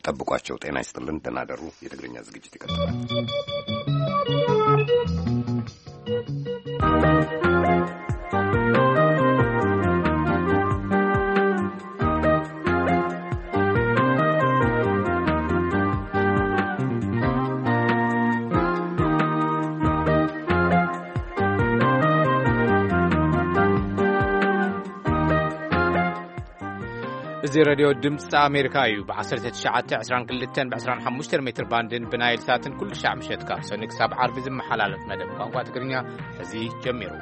ጠብቋቸው። ጤና ይስጥልን፣ ደህና ደሩ። የትግርኛ ዝግጅት ይቀጥላል። እዚ ሬድዮ ድምፂ ኣሜሪካ እዩ። ብ1922 ብ25 ሜትር ባንድን ብናይል ሳትን ኩሉ ሻዕ ምሸት ካብ ሰኒ ክሳብ ዓርቢ ዝመሓላለፍ መደብ ቋንቋ ትግርኛ ሕዚ ጀሚሩ።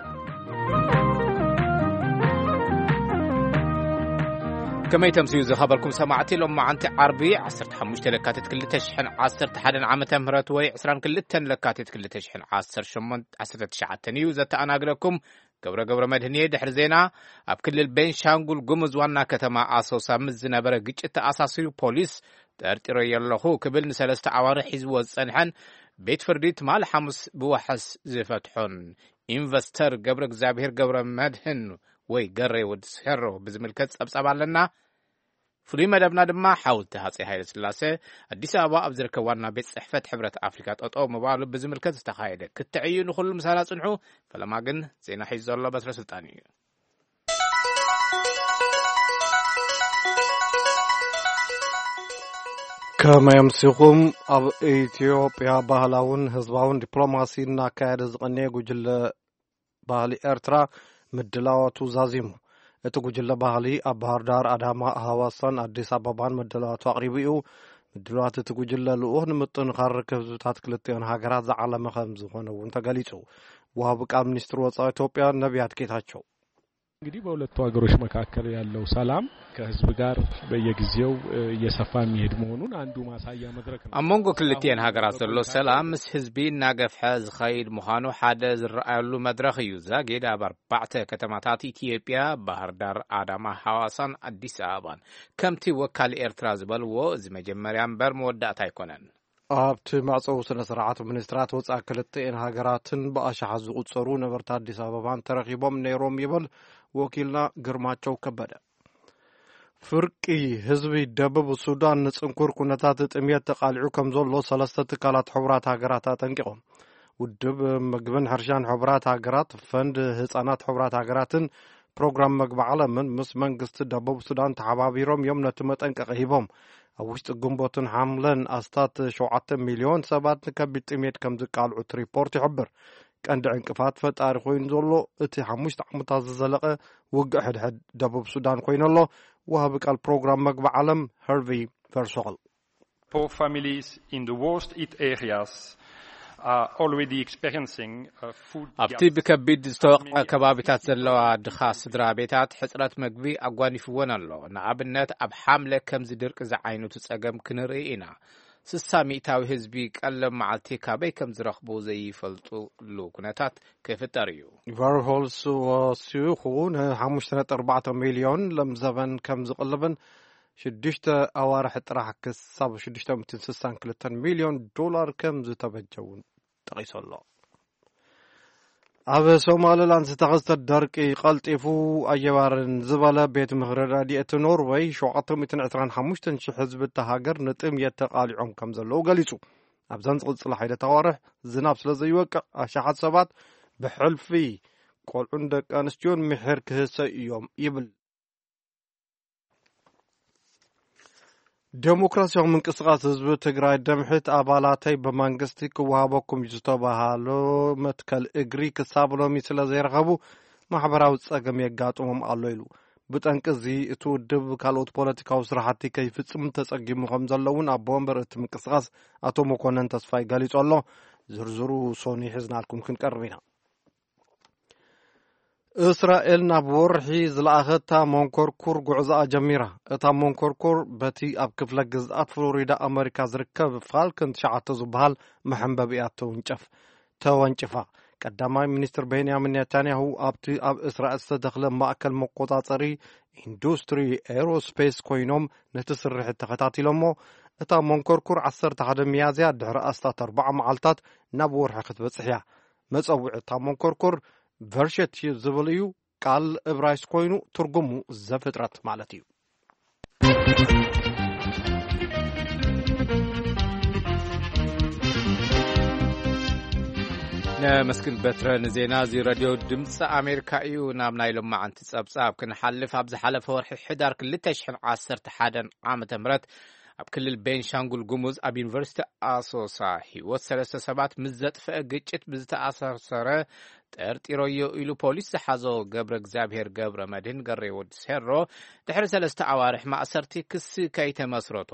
ከመይ ተምስዩ ዝኸበርኩም ሰማዕቲ፣ ሎም መዓንቲ ዓርቢ 15 ለካቲት 2011 ዓመተ ምህረት ወይ 22 ለካቲት 2019 እዩ። ዘተኣናግደኩም ገብረ ገብረ መድህን እየ። ድሕሪ ዜና፣ ኣብ ክልል ቤንሻንጉል ጉሙዝ ዋና ከተማ ኣሶሳ ምስ ዝነበረ ግጭት ተኣሳሲሩ ፖሊስ ጠርጢረዮ ኣለኹ ክብል ንሰለስተ ኣዋርሕ ሒዝዎ ዝጸንሐን ቤት ፍርዲ ትማሊ ሓሙስ ብዋሕስ ዝፈትሖን ኢንቨስተር ገብረ እግዚኣብሔር ገብረ መድህን ወይ ገሬ ወዲ ሴሮ ብዝምልከት ጸብጻብ ኣለና። ፍሉይ መደብና ድማ ሓውልቲ ሃፀይ ሃይለ ስላሴ ኣዲስ ኣበባ ኣብ ዝርከብ ዋና ቤት ጽሕፈት ሕብረት ኣፍሪካ ጠጠው ምባሉ ብዝምልከት ዝተኻየደ ክትዕ እዩ። ንኹሉ ምሳና ጽንሑ። ፈለማ ግን ዜና ሒዙ ዘሎ በትረ ስልጣን እዩ። ከመይ ኣምሲኹም? ኣብ ኢትዮጵያ ባህላውን ህዝባውን ዲፕሎማሲ እናካየደ ዝቐነየ ጉጅለ ባህሊ ኤርትራ ምድላዋቱ ዛዚሙ። እቲ ጉጅለ ባህሊ ኣብ ባህር ዳር፣ ኣዳማ፣ ሃዋሳን ኣዲስ ኣበባን ምድላዋቱ ኣቕሪቡ እዩ። ምድላዋት እቲ ጉጅለ ልኡኽ ንምጥንኻር ርክብ ህዝብታት ክልቲኦን ሃገራት ዝዓለመ ከም ዝኾነ እውን ተገሊጹ። ወሃቢ ቃል ሚኒስትር ወጻኢ ኢትዮጵያ ነቢያት ጌታቸው። እንግዲህ በሁለቱ ሀገሮች መካከል ያለው ሰላም ከህዝብ ጋር በየጊዜው እየሰፋ የሚሄድ መሆኑን አንዱ ማሳያ መድረክ ነው። ኣብ መንጎ ክልቲኤን ሃገራት ዘሎ ሰላም ምስ ህዝቢ እናገፍሐ ዝኸይድ ምዃኑ ሓደ ዝረኣየሉ መድረኽ እዩ። ዛጊድ ኣብ ኣርባዕተ ከተማታት ኢትዮጵያ፣ ባህር ዳር፣ ኣዳማ፣ ሃዋሳን ኣዲስ ኣበባን፣ ከምቲ ወካል ኤርትራ ዝበልዎ፣ እዚ መጀመርያ እምበር መወዳእታ ኣይኮነን። ኣብቲ መዕጸዊ ስነ ስርዓት፣ ሚኒስትራት ወጻኢ ክልቲኤን ሃገራትን ብኣሽሓት ዝቑጸሩ ነበርቲ ኣዲስ ኣበባን ተረኺቦም ነይሮም ይብል ወኪልና ግርማቸው ከበደ። ፍርቂ ህዝቢ ደቡብ ሱዳን ንጽንኩር ኩነታት ጥምየት ተቓሊዑ ከም ዘሎ ሰለስተ ትካላት ሕቡራት ሃገራት ኣጠንቂቖም። ውድብ ምግብን ሕርሻን ሕቡራት ሃገራት፣ ፈንድ ህጻናት ሕቡራት ሃገራትን ፕሮግራም መግቢ ዓለምን ምስ መንግስቲ ደቡብ ሱዳን ተሓባቢሮም እዮም ነቲ መጠንቀቒ ሂቦም። ኣብ ውሽጢ ግንቦትን ሓምለን ኣስታት 7 ሚልዮን ሰባት ንከቢድ ጥሜት ከም ዝቃልዑ እቲ ሪፖርት ይሕብር። ቀንዲ ዕንቅፋት ፈጣሪ ኮይኑ ዘሎ እቲ ሓሙሽተ ዓመታት ዝዘለቐ ውግእ ሕድሕድ ደቡብ ሱዳን ኮይኑ ኣሎ። ወሃቢ ቃል ፕሮግራም መግቢ ዓለም ሄርቪ ቨርሶል። Poor families in the worst hit areas are already experiencing a food ኣብቲ gap. ብከቢድ ዝተወቕዐ ከባቢታት ዘለዋ ድኻ ስድራ ቤታት ሕፅረት መግቢ ኣጓኒፍወን ኣሎ። ንኣብነት ኣብ ሓምለ ከምዚ ድርቂ ዝዓይነቱ ፀገም ክንርኢ ኢና። 60 ሚእታዊ ህዝቢ ቀለብ መዓልቲ ካበይ ከም ዝረኽቡ ዘይፈልጡሉ ኩነታት ክፍጠር እዩ። ቨርሆልስ ወሲኹ ን5.4 ሚልዮን ለምዘበን ከም ዝቕልብን ሽዱሽተ ኣዋርሕ ጥራሕ ክሳብ 662 ሚልዮን ዶላር ከም ዝተበጀ እውን ጠቒሱ ኣሎ። ኣብ ሶማሊላንድ ዝተኸስተ ደርቂ ቀልጢፉ ኣየባርን ዝበለ ቤት ምኽሪ ረድኤት ኖርወይ፣ 725,000 ህዝቢ እታ ሃገር ንጥምየት ተቓሊዖም ከም ዘለዉ ገሊጹ። ኣብዘን ዝቕጽላ ሓይደት ኣዋርሕ ዝናብ ስለ ዘይወቅዕ፣ ኣሽሓት ሰባት ብሕልፊ ቆልዑን ደቂ ኣንስትዮን ምሒር ክህሰዩ እዮም ይብል። ዴሞክራሲያዊ ምንቅስቃስ ህዝቢ ትግራይ፣ ደምሒት፣ ኣባላተይ ብመንግስቲ ክወሃበኩም እዩ ዝተባሃሎ መትከል እግሪ ክሳብ ሎሚ ስለ ዘይረኸቡ ማሕበራዊ ጸገም የጋጥሞም ኣሎ ኢሉ። ብጠንቂ እዚ እቲ ውድብ ካልኦት ፖለቲካዊ ስራሕቲ ከይፍጽም ተጸጊሙ ከም ዘሎ እውን ኣቦ ወንበር እቲ ምንቅስቃስ ኣቶ መኮነን ተስፋይ ገሊጹ ኣሎ። ዝርዝሩ ሶኒ ሒዝናልኩም ክንቀርብ ኢና። እስራኤል ናብ ወርሒ ዝለኣኸታ መንኮርኩር ጉዕዞኣ ጀሚራ። እታ መንኮርኩር በቲ ኣብ ክፍለ ግዝኣት ፍሎሪዳ ኣመሪካ ዝርከብ ፋልከን ትሽዓተ ዝበሃል መሐንበቢ እያ ተወንጨፍ-፣ ተወንጭፋ። ቀዳማይ ሚኒስትር ቤንያሚን ኔታንያሁ ኣብቲ ኣብ እስራኤል ዝተተኽለ ማእከል መቆጻጸሪ ኢንዱስትሪ ኤሮስፔስ ኮይኖም ነቲ ስርሒት ተኸታቲሎሞ። እታ መንኮርኩር 11 ሚያዝያ ድሕሪ ኣስታት ኣርባዓ መዓልታት ናብ ወርሒ ክትበጽሕ እያ። መጸውዒ እታ መንኮርኩር ቨርሸት ዝብል እዩ። ቃል እብራይስጥ ኮይኑ ትርጉሙ ዘፍጥረት ማለት እዩ። መስክን በትረ ንዜና እዚ ሬድዮ ድምፂ ኣሜሪካ እዩ። ናብ ናይ ሎማዓንቲ ጸብጻብ ክንሓልፍ፣ ኣብ ዝሓለፈ ወርሒ ሕዳር ክልተ ሽሕን ዓሰርተ ሓደን ዓመተ ምህረት ኣብ ክልል ቤንሻንጉል ጉሙዝ ኣብ ዩኒቨርሲቲ ኣሶሳ ህይወት ሰለስተ ሰባት ምስ ዘጥፍአ ግጭት ብዝተኣሳሰረ ጠርጢሮዮ ኢሉ ፖሊስ ዝሓዞ ገብረ እግዚኣብሔር ገብረ መድህን ገሬ ወዲ ሴሮ ድሕሪ ሰለስተ ኣዋርሕ ማእሰርቲ ክሲ ከይተመስረቶ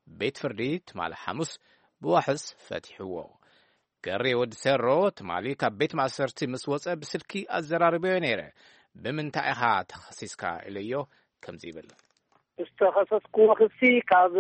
ቤት ፍርዲ ትማሊ ሓሙስ ብዋሕስ ፈቲሕዎ። ገሬ ወዲ ሴሮ ትማሊ ካብ ቤት ማእሰርቲ ምስ ወጸ ብስልኪ ኣዘራርበዮ ነይረ። "ብምንታይ ኢኻ ተኸሲስካ?" ኢለዮ ከምዚ ይብል። ዝተኸሰስኩዎ ክሲ ካብ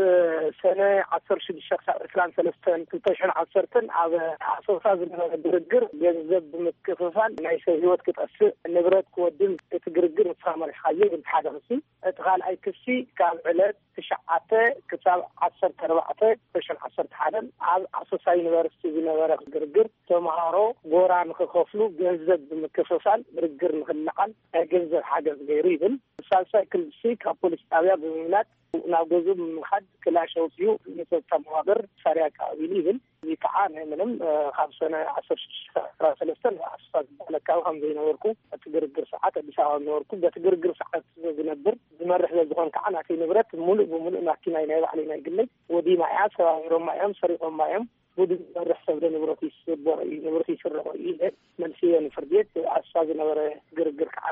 ሰነ ዓሰርተ ሽዱሽተ ክሳብ ዕስራን ሰለስተን ክልተ ሽሕን ዓሰርተን ኣብ ኣሶሳ ዝነበረ ግርግር ገንዘብ ብምክፍፋል ናይ ሰብ ህይወት ክጠፍእ፣ ንብረት ክወድም፣ እቲ ግርግር ንስኻ መሪሕካዮ ይብል ሓደ ክሲ። እቲ ካልኣይ ክሲ ካብ ዕለት ትሽዓተ ክሳብ ዓሰርተ ኣርባዕተ ክልተ ሽሕን ዓሰርተ ሓደን ኣብ ኣሶሳ ዩኒቨርሲቲ ዝነበረ ግርግር ተምሃሮ ጎራ ንክኸፍሉ ገንዘብ ብምክፍፋል ግርግር ንክለዓል ናይ ገንዘብ ሓገዝ ገይሩ ይብል። ሳልሳይ ክሲ ካብ ፖሊስ ጣብያ ብምምላጥ ናብ ገዝኡ ብምኻድ ክላሽ ኣውፂኡ ንፀጥታ መዋቅር መሳርያ ኣቀባቢሉ ይብል። እዚ ከዓ ናይ ምንም፣ እ፣ ካብ ሰነ ዓሰርተ ሽዱሽተ ዓሰርተ ሰለስተ ኣብ ኣሶሳ ዝበሃል ኣካባቢ ከም ዘይነበርኩ፣ እቲ ግርግር ሰዓት ኣዲስ ኣበባ ነበርኩ። በቲ ግርግር ሰዓት ዝነብር ዝመርሕ ስለዝኾን ከዓ ናተይ ንብረት ሙሉእ ብሙሉእ ማኪናይ ናይ ባዕለይ ናይ ግለይ ወዲማ እያ። ሰባቢሮማ እዮም፣ ሰሪቆማ እዮም። ብኡ ዝመርሕ ሰብ ዶ ንብረት ይስበሮ እዩ፣ ንብረት ይስረቆ እዩ ኢለ መልስዮ ንፍርዲ ቤት። ኣሶሳ ዝነበረ ግርግር ከዓ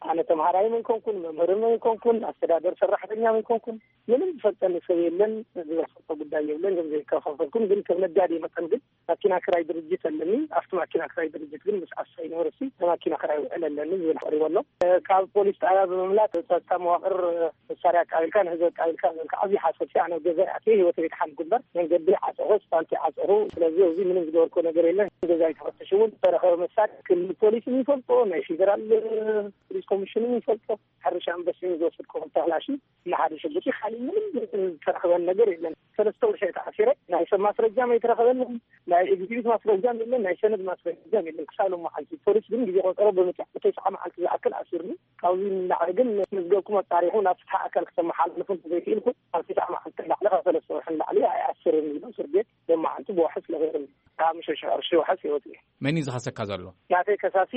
ኣነ ተምሃራይ ምን ኮንኩን፣ መምህር ምን ኮንኩን፣ ኣስተዳደር ሰራሕተኛ ምን ኮንኩን፣ ምንም ዝፈልጠኒ ሰብ የለን። ዝፈልጦ ጉዳይ የብለን። ገንዘብ ይከፋፈልኩን፣ ግን ከም ነጋዴ መጠን ግን ማኪና ክራይ ድርጅት ኣለኒ። ኣብቲ ማኪና ክራይ ድርጅት ግን ምስ ኣሶሳ ዩኒቨርሲቲ ንማኪና ክራይ ውዕል ኣለኒ ዝብል ቀሪቡ ኣሎ። ካብ ፖሊስ ጣብያ ብምምላጥ ጸጥታ መዋቕር መሳርያ ኣቃቢልካ ንህዝቢ ኣቃቢልካ ዝብል ከዓ ዓብዪ ሓሶት እዩ። ኣነ ኣብ ገዛ ኣትየ ህይወተይ ድሓን እምበር መንገዲ ዓፀኹ፣ ስፓልቲ ዓፀኹ። ስለዚ ኣብዚ ምንም ዝገበርኩ ነገር የለን። ገዛይ ተፈትሹ እውን ዝተረኸበ መሳርያ ክልል ፖሊስ ይፈልጦ፣ ናይ ፌደራል ፖሊስ ኮሚሽን ይፈልጦ። ሕርሻ ኣንበሲን ዝወሰድኩ ክልተ ክላሽን ንሓደ ሽጉጢ፣ ካሊእ ምንም ዝተረኸበን ነገር የለን። ሰለስተ ወርሒ ተኣሲረ፣ ናይ ሰብ ማስረጃ ኣይተረኸበንን፣ ናይ ኤግዚቢት ማስረጃ የለን፣ ናይ ሰነድ ማስረጃ የለን። ክሳብ ሎማዓንቲ ፖሊስ ግን ግዜ ቆፀሮ ብምፅዕ ተስዓ መዓልቲ ዝኣክል ኣሲርኒ። ካብዚ ንላዕሊ ግን መዝገብኩም ኣጣሪኹ ናብ ፍትሒ ኣካል ክተመሓላልፉ እንተዘይክኢልኩም፣ ካብ ተስዓ መዓልቲ ንላዕሊ፣ ካብ ሰለስተ ወርሒ ንላዕሊ ኣይኣስርን ኢሉ እስር ቤት ሎማዓንቲ ብዋሕስ ለቒቑኒ። ካብ ሓሙሽተ ሽሕ ቅርሺ ዋሕስ ይወፅእ። መን እዩ ዝኸሰካ ዘሎ? ናተይ ከሳሲ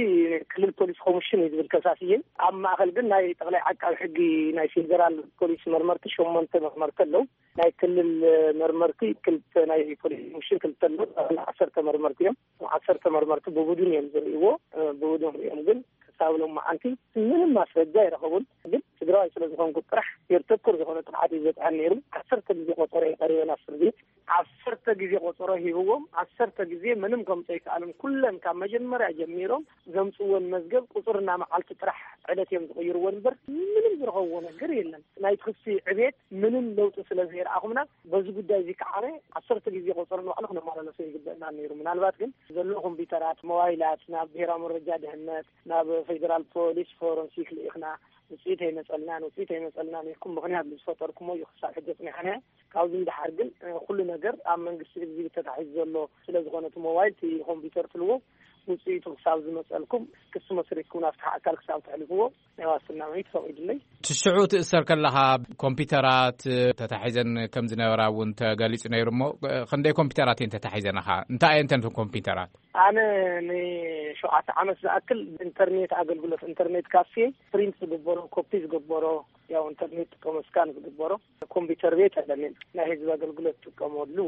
ክልል ፖሊስ ኮሚሽን እዩ ዝብል ከሳሲ እየ። ኣብ ማእኸል ግን ናይ ጠቕላይ ዓቃቢ ሕጊ ናይ ፌደራል ፖሊስ መርመርቲ ሸሞንተ መርመርቲ ኣለዉ። ናይ ክልል መርመርቲ ክልተ፣ ናይ ፖሊስ ኮሚሽን ክልተ ኣለዉ። ጠቕላላ ዓሰርተ መርመርቲ እዮም። ዓሰርተ መርመርቲ ብቡድን እዮም ዝርእይዎ። ብቡድን ርእዮም ግን ክሳብ ሎማዓንቲ ምንም ማስረጃ ኣይረኸቡን። ግን ትግራዋይ ስለ ዝኾንኩ ጥራሕ ጌር ተኮር ዝኾነ ጥቕዓት እዩ ዝበፅሐኒ ነይሩ። ዓሰርተ ግዜ ቆፀሮ እዩ ቀሪበ ናብ ፍርዲ ቤት። ዓሰርተ ግዜ ቆፀሮ ሂብዎም፣ ዓሰርተ ግዜ ምንም ከምፅኦ ኣይከኣሉን። ኩለን ካብ መጀመርያ ጀሚሮም ዘምፅእወን መዝገብ ቁፅርና መዓልቲ ጥራሕ ዕለት እዮም ዝቕይርዎ እምበር ምንም ዝረኸብዎ ነገር የለን። ናይ ክሲ ዕቤት ምንም ለውጢ ስለ ዘይረኣኹምና በዚ ጉዳይ እዚ ከዓ ዓሰርተ ግዜ ቆፀሮ ንባዕሉ ክነመላለሶ ይግበእና ነይሩ። ምናልባት ግን ዘሎ ኮምፒውተራት፣ ሞባይላት ናብ ብሔራዊ መረጃ ድህነት፣ ናብ ፌደራል ፖሊስ ፎረንሲክ ልኢኽና፣ ውፅኢት ኣይመፀልናን፣ ውፅኢት ኣይመፀልናን ኢልኩም ምኽንያት ዝፈጠርኩሞ እዩ ክሳብ ሕጂ ኣፅኒሓና። ካብዚ ንደሓር ግን፣ እ፣ ኩሉ ነገር ኣብ መንግስቲ እግዝቢት ተታሒዙ ዘሎ ስለ ዝኾነ እቲ ሞባይል፣ እቲ ኮምፒውተር ትልዎ ውፅኢቱ ክሳብ ዝመፀልኩም ክሲ መስሪትኩም ናብቲ ኣካል ክሳብ ተሕልፍዎ ናይ ዋስትና መብት ፈቒዱለይ። ትሽዑ ትእሰር ከለኻ ኮምፒውተራት ተታሒዘን ከም ዝነበራ እውን ተገሊጹ ነይሩ እሞ፣ ክንደይ ኮምፒውተራት እየን ተታሒዘናኻ? እንታይ እየን እተን ኮምፒውተራት? ኣነ ንሸውዓተ ዓመት ዝኣክል ኢንተርኔት ኣገልግሎት፣ ኢንተርኔት ካፌ ፕሪንት ዝግበሮ፣ ኮፒ ዝግበሮ፣ ያው ኢንተርኔት ጥቀሞ ስካን ዝግበሮ ኮምፒውተር ቤት ኣለኒ። ናይ ህዝቢ ኣገልግሎት ጥቀመሉ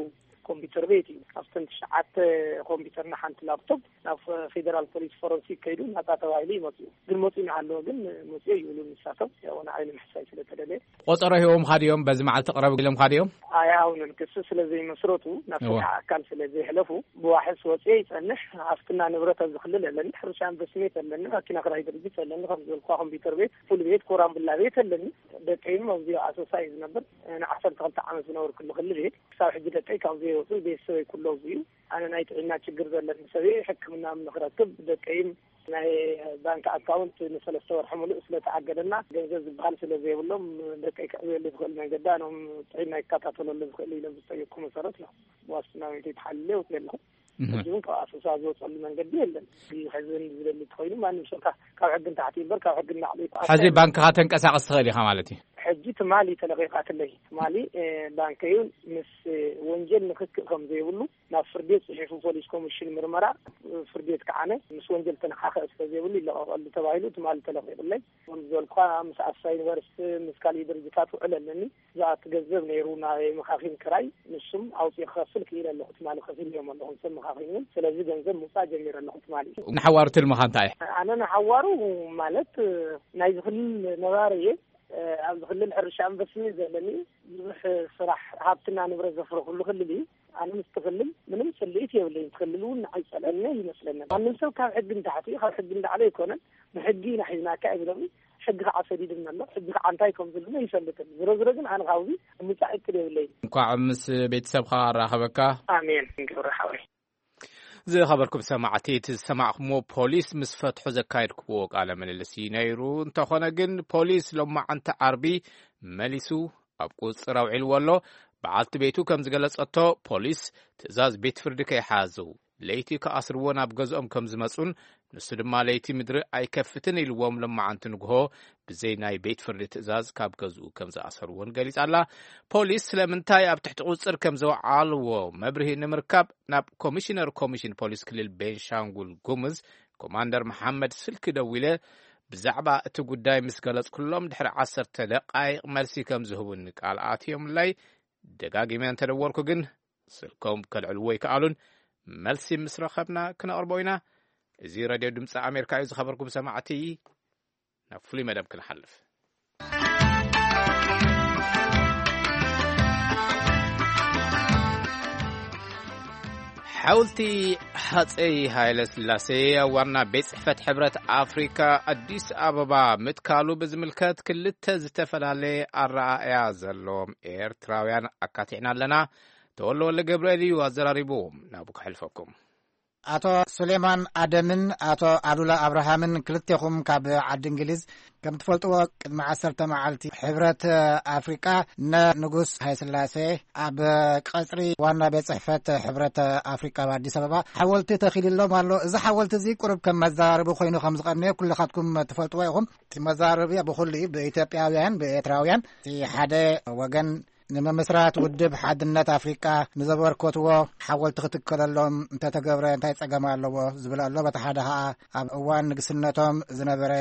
ኮምፒውተር ቤት እዩ። ካብተን ትሽዓተ ኮምፒውተርና ሓንቲ ላፕቶፕ ናብ ፌደራል ፖሊስ ፎረንሲክ ከይዱ ናጻ ተባሂሉ እዩ መጽኡ። ግን መጽኡ እናሃለወ ግን መጽኡ ይብሉ ንሳቶም። ያው ንዓይ ንምሕሳይ ስለ ተደለየ። ቆጸሮ ሂቦምኻ ድዮም? በዚ መዓልቲ ቅረቡ ኢሎምኻ ድዮም? ኣይሃውንን። ክሲ ስለ ዘይመስረቱ፣ ናብ እዋ። ፍትሒ ኣካል ስለ ዘይሕለፉ፣ ብዋሕስ ወጽየ ይጸንሕ። ሃፍትና ንብረት ኣብዚ ክልል ኣለኒ። ሕርሻ ኢንቨስትሜንት ኣለኒ። ማኪና ክራይ ድርጅት ኣለኒ። ከም ዝበልኩኻ ኮምፒውተር ቤት፣ ፉል ቤት፣ ኮራምብላ ቤት ኣለኒ። ደቀይም ኣብዚ ኣሶሳ እዩ ዝነብር። ንዓሰርተ ክልተ ዓመት ዝነበርኩሉ ክልል ቤት። ክሳብ ሕጂ ደቀይ ካብ ዘይወጹ ቤተሰበይ ኩሎ ኣብዚ እዩ። ኣነ ናይ ጥዕና ችግር ዘለኒ ሰብ እየ። ሕክምና ንክረክብ ደቀይም ናይ ባንክ ኣካውንት ንሰለስተ ወርሒ ሙሉእ ስለ ተኣገደና፣ ገንዘብ ዝበሃል ስለ ዘይብሎም፣ ደቀይ ከዕብየሉ ዝኽእል መንገዲ፣ ኣነም ጥዕና ይከታተለሉ ዝኽእል ኢሎም ዝጠየቅኩ መሰረት ነው ዋስትና ቤተይ ተሓልለ ወፅየ ኣለኹ። እህ። ሕጂ እውን ካብ ኣሶሳ ዝወፀሉ መንገዲ የለን። ሕዚ ሕዝን ዝደሊ እንተኾይኑ፣ ማንም ሰብ ካብ፣ ካብ ሕጊ ንታሕቲ እምበር ካብ ሕጊ ንላዕሊ ይተኣሰር ሕዚ የለን። ባንክኻ ተንቀሳቐስ ትኽእል ኢኻ ማለት እዩ? ሕጂ ትማሊ ተለቒቓትለይ። ትማሊ፣ እ፣ ባንከይ እውን ምስ፣ እ፣ ወንጀል ክትክእ ከም ዘይብሉ ናብ ፍርድ ቤት ጽሒፉ፣ ፖሊስ ኮሚሽን ምርመራ ፍርድ ቤት ከዓነ ምስ ወንጀል ተነሓኸ ስለ ዘይብሉ ይለቐቐሉ ተባሂሉ ትማሊ ተለቒቑለይ። ከም ዝበልኳ ምስ ኣስታ ዩኒቨርሲቲ ምስ ካልእ ድርጅታት ውዕል ኣለኒ። ብዛዕባ እቲ ገንዘብ ነይሩ ናይ መኻኺን ክራይ ንሱም ኣውፅኡ ክኸፍል ክኢለ ኣለኹ። ትማሊ ከፊል እዮም ኣለኹ ሰብ መኻኺን እውን። ስለዚ ገንዘብ ምውፃእ ጀሚረ ኣለኹ ትማሊ። ንሓዋሩ ትልምኻ እንታይ? ኣነ ንሓዋሩ ማለት ናይዚ ክልል ነባሪ እየ። ኣብዚ ክልል ሕርሻ ኢንቨስትመንት ዘለኒ ብዙሕ ስራሕ ሃብትና ንብረት ዘፍረኹሉ ክልል እዩ። ኣነ ምስቲ ክልል ምንም ስልኢት የብለይን። እቲ ክልል እውን ንዓይ ጸልአኒ ይመስለኒ። ማንም ሰብ ካብ ሕጊ ንታሕቲ ካብ ሕጊ ንላዕሊ ኣይኮነን። ብሕጊ ኢና ሒዝናካ ይብለኒ። ሕጊ ከዓ ሰዲድኒ ኣሎ። ሕጊ ከዓ እንታይ ከም ዝብለኒ ኣይፈልጥን። ዝሮ ዝሮ ግን ኣነ ካብዚ ምጻእ እቅድ የብለይን። እንኳዕ ምስ ቤተሰብካ ኣራኸበካ። ኣሜን። ግብረ ሓወይ። ዝኸበርኩም ሰማዕቲ፣ እቲ ዝሰማዕኩምዎ ፖሊስ ምስ ፈትሑ ዘካየድኩምዎ ቃለ ምልልስ እዩ ነይሩ። እንተኾነ ግን ፖሊስ ሎማዓንቲ ዓርቢ መሊሱ ኣብ ቁጽጽር ኣውዒልዎ ኣሎ። በዓልቲ ቤቱ ከም ዝገለጸቶ፣ ፖሊስ ትእዛዝ ቤት ፍርዲ ከይሓዙ ለይቲ ክኣስርዎ ናብ ገዝኦም ከም ዝመጹን ንሱ ድማ ለይቲ ምድሪ ኣይከፍትን ኢልዎም ሎማዓንቲ ንግሆ ብዘይ ናይ ቤት ፍርዲ ትእዛዝ ካብ ገዝኡ ከም ዝኣሰርዎን ገሊጻ ኣላ። ፖሊስ ስለምንታይ ኣብ ትሕቲ ቁጽጽር ከም ዘውዓልዎ መብርሂ ንምርካብ ናብ ኮሚሽነር ኮሚሽን ፖሊስ ክልል ቤንሻንጉል ጉሙዝ ኮማንደር መሓመድ ስልኪ ደዊለ ብዛዕባ እቲ ጉዳይ ምስ ገለጽኩሎም ድሕሪ ዓሰርተ ደቃይቕ መልሲ ከም ዝህቡኒ ቃል ኣትዮምለይ። ደጋጊመ እንተደወልኩ ግን ስልኮም ከልዕልዎ ኣይከኣሉን። መልሲ ምስ ረኸብና ክነቕርቦ ኢና። እዚ ሬድዮ ድምፂ ኣሜሪካ እዩ። ዝኸበርኩም ሰማዕቲ፣ ናብ ፍሉይ መደብ ክንሓልፍ። ሓውልቲ ሃፀይ ሃይለ ስላሴ ኣብ ዋና ቤት ጽሕፈት ሕብረት ኣፍሪካ ኣዲስ ኣበባ ምትካሉ ብዝምልከት ክልተ ዝተፈላለየ ኣረኣእያ ዘለዎም ኤርትራውያን ኣካቲዕና ኣለና። ተወልደ ወልደ ገብርኤል እዩ ኣዘራሪብዎም። ናብኡ ከሕልፈኩም። ኣቶ ሱሌማን ኣደምን ኣቶ ኣሉላ ኣብርሃምን ክልቴኹም ካብ ዓዲ እንግሊዝ። ከም ትፈልጥዎ ቅድሚ ዓሰርተ መዓልቲ ሕብረት ኣፍሪቃ ንንጉስ ሃይስላሴ ኣብ ቀጽሪ ዋና ቤት ጽሕፈት ሕብረት ኣፍሪቃ ኣብ ኣዲስ ኣበባ ሓወልቲ ተኺልሎም ኣሎ። እዚ ሓወልቲ እዚ ቁሩብ ከም መዘራረቢ ኮይኑ ከም ዝቐነየ ኩልኻትኩም ትፈልጥዎ ኢኹም። እቲ መዘራረቢ ብኹሉ እዩ፣ ብኢትዮጵያውያን፣ ብኤርትራውያን። እቲ ሓደ ወገን ንምምስራት ውድብ ሓድነት ኣፍሪቃ ንዘበርከትዎ ሓወልቲ ክትከለሎም እንተተገብረ እንታይ ጸገም ኣለዎ ዝብል ኣሎ። በቲ ሓደ ኸኣ ኣብ እዋን ንግስነቶም ዝነበረ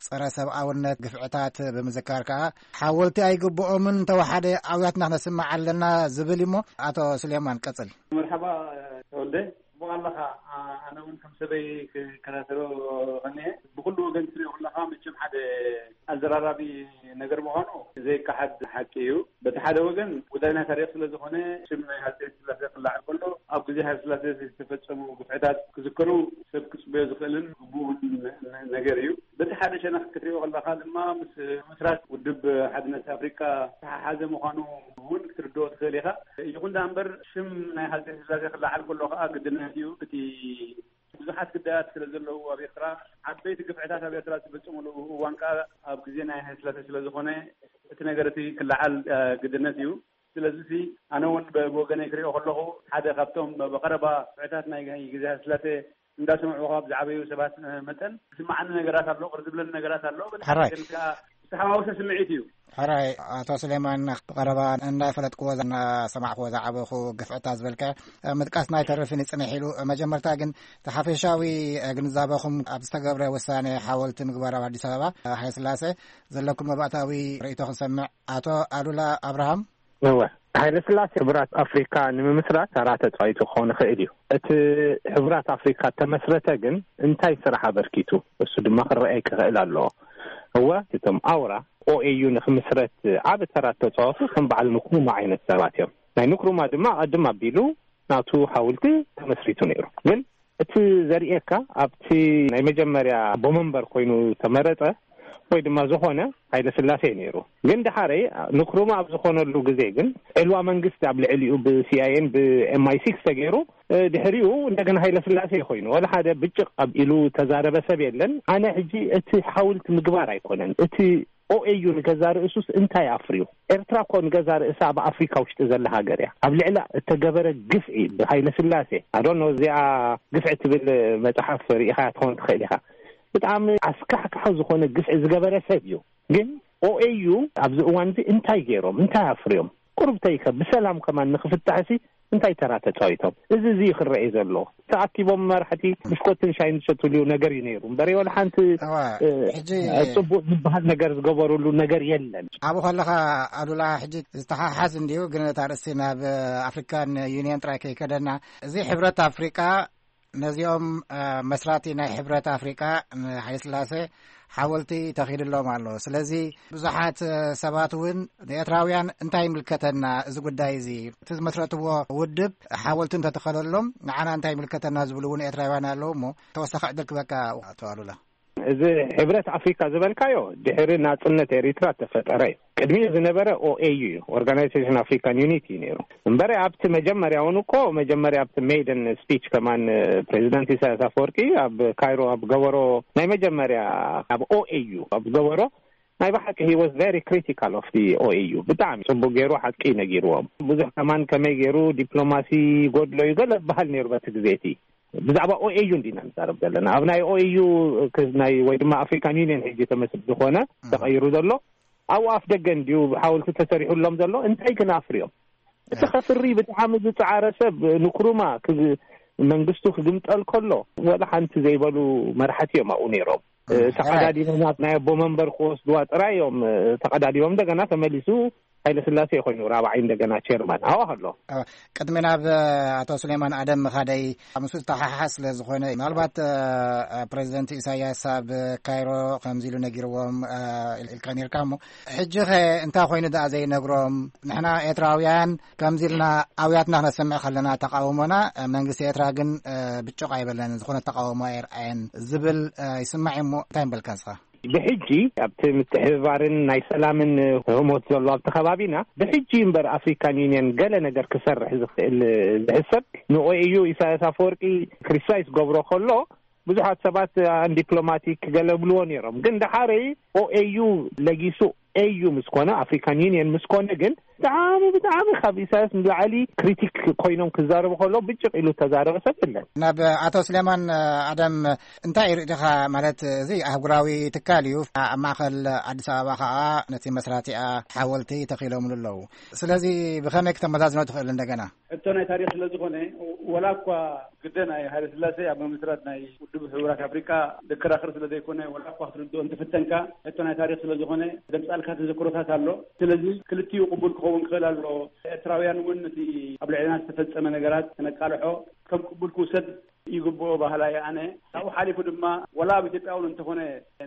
ጸረ ሰብኣውነት ግፍዕታት ብምዝካር ከኣ ሓወልቲ ኣይግብኦምን፣ እንተወሓደ ኣውያትና ክነስምዕ ኣለና ዝብል እዩሞ። ኣቶ ሱሌማን ቀጽል። መርሓባ ተወልደ፣ ጽቡቕ ኣለኻ። ኣ-፣ ኣነ እውን ከም ሰበይ ክከታተሎ ኸኒየ። ብኹሉ ወገን ትሪኦ ከለኻ መቸም ሓደ ኣዘራራቢ ነገር ምዃኑ ዘይከሓድ ሓቂ እዩ። በቲ ሓደ ወገን ጉዳይ ናይ ታሪኽ ስለ ዝኾነ ሽም ናይ ሃፀይ ስላሴ ክለዓል ከሎ ኣብ ግዜ ሃይለ ስላሴ ዝተፈጸሙ ግፍዕታት ክዝከሩ ሰብ ክጽበዮ ዝኽእልን ግቡእን ነ-፣ ነገር እዩ። በቲ ሓደ ሸነኽ ክትሪኦ ከለኻ ድማ ምስ ምስራት ውድብ ሓድነት ኣፍሪቃ ዝተሓሓዘ ምዃኑ እውን ክትርድኦ ትኽእል ኢኻ። ይኹን ደኣ እምበር ሽም ናይ ሃፀይ ስላሴ ክለዓል ከሎ ከዓ ግድነት እዩ። እቲ ብዙሓት ግዳያት ስለ ዘለዉ ኣብ ኤርትራ፣ ዓበይቲ ግፍዕታት ኣብ ኤርትራ ዝተፈጸሙሉ እዋን ከኣ ኣብ ግዜ ናይ ሃይለ ስላሴ ስለ ዝኾነ፣ እቲ ነገር እቲ ክለዓል፣ እ፣ ግድነት እዩ። ስለዚ እዚ ኣነ እውን ብ-፣ ብወገነይ ክሪኦ ከለኹ፣ ሓደ ካብቶም ብቐረባ ግፍዕታት ናይ ግዜ ሃይለ ስላሴ እንዳሰምዑ ካብ ዝዓበዩ ሰባት፣ እ፣ መጠን ዝስምዓኒ ነገራት ኣሎ፣ ቅር ዝብለኒ ነገራት ኣሎ። በቲ ሕራይ። ሓቂ ግን ከኣ ዝተሓዋወሰ ስምዒት እዩ። ሕራይ፣ ኣቶ ሱሌማን፣ ብቐረባ እንዳፈለጥክዎ፣ እናሰማዕክዎ ዝዓበኹ ግፍዕታት ዝበልካዮ፣ እ፣ ምጥቃስና ኣይተርፍን እዩ፣ ጽንሕ ኢሉ። መጀመርታ ግን እቲ ሓፈሻዊ፣ እ፣ ግንዛበኹም ኣብ ዝተገብረ ውሳኔ ሓወልቲ ምግባር ኣብ ኣዲስ ኣበባ፣ እ፣ ሃይለ ስላሴ ዘለኩም መባእታዊ ርእይቶ ክንሰምዕ። ኣቶ ኣሉላ ኣብርሃም። እወ፣ ሃይለ ስላሴ ሕቡራት ኣፍሪካ ንምምስራት ተራ ተፃዊቱ ክኸውን ይኽእል እዩ። እቲ ሕቡራት ኣፍሪካ ተመስረተ ግን እንታይ ስራሕ ኣበርኪቱ? እሱ ድማ ክረኣይ ክኽእል ኣለዎ። እወ፣ እቶም ኣውራ ኦኤዩ ንክምስረት ዓቢ ተራ ተፃወቱ ከም በዓል ንክሩማ ዓይነት ሰባት እዮም። ናይ ንክሩማ ድማ ቀድም ኣቢሉ ናቱ ሓውልቲ ተመስሪቱ ነይሩ። ግን እቲ ዘርእየካ ኣብቲ ናይ መጀመርያ ኣቦ መንበር ኮይኑ ተመረጸ ወይ ድማ ዝኾነ ሃይለ ስላሴ እዩ ነይሩ። ግን ደሓረይ ንክሩማ ኣብ ዝኾነሉ ግዜ ግን ዕልዋ መንግስቲ ኣብ ልዕሊኡ ብሲኣይኤን ብኤምኣይ ሲክስ ተገይሩ፣ እ፣ ድሕሪኡ እንደገና ሃይለ ስላሴ ኮይኑ ወላ ሓደ ብጭቕ ኣብ ኢሉ ተዛረበ ሰብ የለን። ኣነ ሕጂ እቲ ሓውልቲ ምግባር ኣይኮነን፣ እቲ ኦኤዩ ንገዛ ርእሱስ እንታይ ኣፍርዩ? ኤርትራ እኮ ንገዛ ርእሳ ኣብ ኣፍሪካ ውሽጢ ዘላ ሃገር እያ። ኣብ ልዕላ እተገበረ ግፍዒ ብሃይለ ስላሴ፣ ኣዶኖ እዚኣ ግፍዒ ትብል መጽሓፍ ርኢኻ ትኸውን ትኽእል ኢኻ። ብጣዕሚ ኣስካሕካሒ ዝኾነ ግፍዒ ዝገበረ ሰብ እዩ። ግን ኦኤዩ ኣብዚ እዋን እዚ እንታይ ገይሮም? እንታይ ኣፍርዮም? ቁሩብ ተይከ ብሰላም ከማን ንክፍታሕሲ እንታይ ተራ ተፃዊቶም? እዚ እዚ እዩ ክረኤ ዘሎ። ተኣኪቦም መራሕቲ ብሽኮትን ሻይን ዝሸትሉ ነገር እዩ ነይሩ እምበር፣ ወላ ሓንቲ እዋ፣ እ፣ ሕጂ ጽቡቅ ዝበሃል ነገር ዝገበሩሉ ነገር የለን። ኣብኡ ከለኻ ኣሉላ፣ ሕጂ ዝተሓሓዝ እንዲዩ፣ ግን እታ ርእሲ ናብ ኣፍሪካን ዩኒየን ጥራይ ከይከደና፣ እዚ ሕብረት ኣፍሪቃ ነዚኦም እ፣ መስራቲ ናይ ሕብረት ኣፍሪቃ ንሃይለስላሴ ሓወልቲ ተኺልሎም ኣሎ። ስለዚ ብዙሓት እ፣ ሰባት እውን ንኤርትራውያን እንታይ ይምልከተና እዚ ጉዳይ እዚ፣ እቲ ዝመስረትዎ ውድብ ሓወልቲ እንተተኸለሎም ንዓና እንታይ ይምልከተና ዝብሉ እውን ኤርትራውያን ኣለዉ። እሞ ተወሳኺ ዕድል ክበካ፣ ኣቶ ኣሉላ። እዚ ሕብረት ኣፍሪካ ዝበልካዮ ድሕሪ ናፅነት ኤሪትራ ተፈጠረ እዩ። ቅድሚኡ ዝነበረ ኦኤዩ እዩ፣ ኦርጋናይዜሽን ኣፍሪካን ዩኒቲ እዩ ነይሩ። እምበረ ኣብቲ መጀመርያ እውን እኮ፣ መጀመርያ ኣብቲ ሜይደን ስፒች ከማን ፕሬዚደንት ኢሳያስ ኣፈወርቂ ኣብ ካይሮ ኣብ ገበሮ ናይ መጀመርያ ኣብ ኦኤዩ ኣብ ገበሮ ናይ ብሓቂ he was very critical of the ኦኤዩ። ብጣዕሚ ፅቡቅ ገይሩ ሓቂ ነጊርዎም። ብዙሕ ከማን ከመይ ገይሩ ዲፕሎማሲ ጎድሎ እዩ ገለ በሃል ነይሩ በቲ ግዜ እቲ። ብዛዕባ ኦኤዩ እንዲና ንዛረብ ዘለና፣ ኣብ ናይ ኦኤዩ ናይ ወይ ድማ ኣፍሪካን ዩኒየን ሕጂ ተመስል ዝኾነ ተቐይሩ ዘሎ፣ ኣብኡ ኣፍ ደገ እንዲዩ ሓወልቲ ተሰሪሑሎም ዘሎ። እንታይ ግን ኣፍርዮም? እቲ ከፍሪ ብጣዕሚ ዝፀዓረ ሰብ ንክሩማ ክግ- መንግስቱ ክግምጠል ከሎ ወላ ሓንቲ ዘይበሉ መራሕቲ እዮም ኣብኡ ነይሮም። ተቐዳዲሞም ኣብ ናይ ኣቦ መንበር ክወስድዋ ጥራይ እዮም ተቐዳዲሞም። እንደገና ተመሊሱ ሃይለ ስላሴ ኮይኑ ራብዓይ እንደገና ቸርማን ኣዋ ከሎ። ቅድሚ ናብ ኣቶ ሱሌማን ኣደም ምኻደይ፣ ምስ ዝተሓሓዝ ስለ ዝኾነ፣ ምናልባት ፕሬዚደንት ኢሳያስ ኣብ ካይሮ ከምዚ ኢሉ ነጊርዎም ኢልካ ነርካ። እሞ ሕጂ ኸ እንታይ ኮይኑ ደኣ ዘይነግሮም? ንሕና ኤርትራውያን ከምዚ ኢልና ኣውያትና ክነሰምዕ ከለና ተቃውሞና፣ መንግስቲ ኤርትራ ግን ብጭቕ ኣይበለን፣ ዝኾነ ተቃውሞ ኣይርኣየን ዝብል ይስማዕ። እሞ እንታይ ምበልካ ንስኻ? ብሕጂ ኣብቲ ምትሕብባርን ናይ ሰላምን ህሞት ዘሎ ኣብቲ ከባቢና፣ ብሕጂ እምበር ኣፍሪካን ዩኒየን ገለ ነገር ክሰርሕ ዝኽእል ዝሕሰብ ንኦኤዩ ኢሳያስ ኣፈወርቂ ክሪቲሳይዝ ገብሮ ከሎ፣ ብዙሓት ሰባት ኣን ዲፕሎማቲክ ገለ ብልዎ ነይሮም። ግን ደሓረይ ኦኤዩ ለጊሱ ኤዩ ምስ ኮነ፣ ኣፍሪካን ዩኒየን ምስ ኮነ ግን ብጣዕሚ ብጣዕሚ ካብ ኢሳያስ ንላዕሊ ክሪቲክ ኮይኖም ክዛረቡ ከሎ ብጭቕ ኢሉ ተዛረበ ሰብ የለን። ናብ ኣቶ ስሌማን ኣደም እንታይ ርኢኻ? ማለት እዚ ኣህጉራዊ ትካል እዩ። ኣብ ማእኸል ኣዲስ ኣበባ ከዓ ነቲ መስራቲኣ ሓወልቲ ተኺሎምሉ ኣለዉ። ስለዚ ብኸመይ ክተመዛዝኖ ትኽእል? እንደገና ሕቶ ናይ ታሪኽ ስለ ዝኾነ፣ ወላ እኳ ግደ ናይ ሃይለ ስላሴ ኣብ ምምስራት ናይ ውድብ ሕቡራት ኣፍሪካ ዘከራኽር ስለ ዘይኮነ፣ ወላ እኳ ክትርድኦ እንትፍተንካ፣ ሕቶ ናይ ታሪኽ ስለ ዝኾነ ዘምጻልካ ተዘክሮታት ኣሎ። ስለዚ ክልቲኡ ቅቡል ክኸውን ክኽእል ኣሎ። ኤርትራውያን እውን እቲ ኣብ ልዕልና ዝተፈጸመ ነገራት ክነቃልሖ ከም ቅቡል ክውሰድ ይግብኦ ባህላ እየ ኣነ። ካብኡ ሓሊፉ ድማ፣ ወላ ኣብ ኢትዮጵያ እውን እንተኾነ